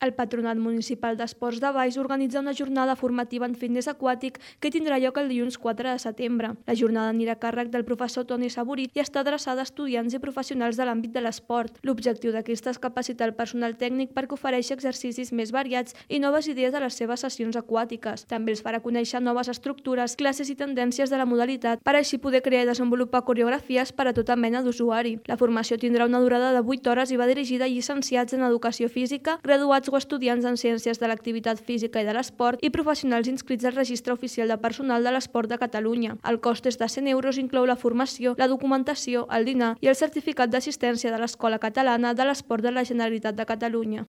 El Patronat Municipal d'Esports de Valls organitza una jornada formativa en fitness aquàtic que tindrà lloc el dilluns 4 de setembre. La jornada anirà a càrrec del professor Toni Saborit i està adreçada a estudiants i professionals de l'àmbit de l'esport. L'objectiu d'aquesta és capacitar el personal tècnic perquè ofereixi exercicis més variats i noves idees a les seves sessions aquàtiques. També els farà conèixer noves estructures, classes i tendències de la modalitat per així poder crear i desenvolupar coreografies per a tota mena d'usuari. La formació tindrà una durada de 8 hores i va dirigida a llicenciats en educació física, graduats o estudiants en ciències de l'activitat física i de l'esport i professionals inscrits al Registre Oficial de Personal de l'Esport de Catalunya. El cost és de 100 euros, inclou la formació, la documentació, el dinar i el certificat d'assistència de l'Escola Catalana de l'Esport de la Generalitat de Catalunya.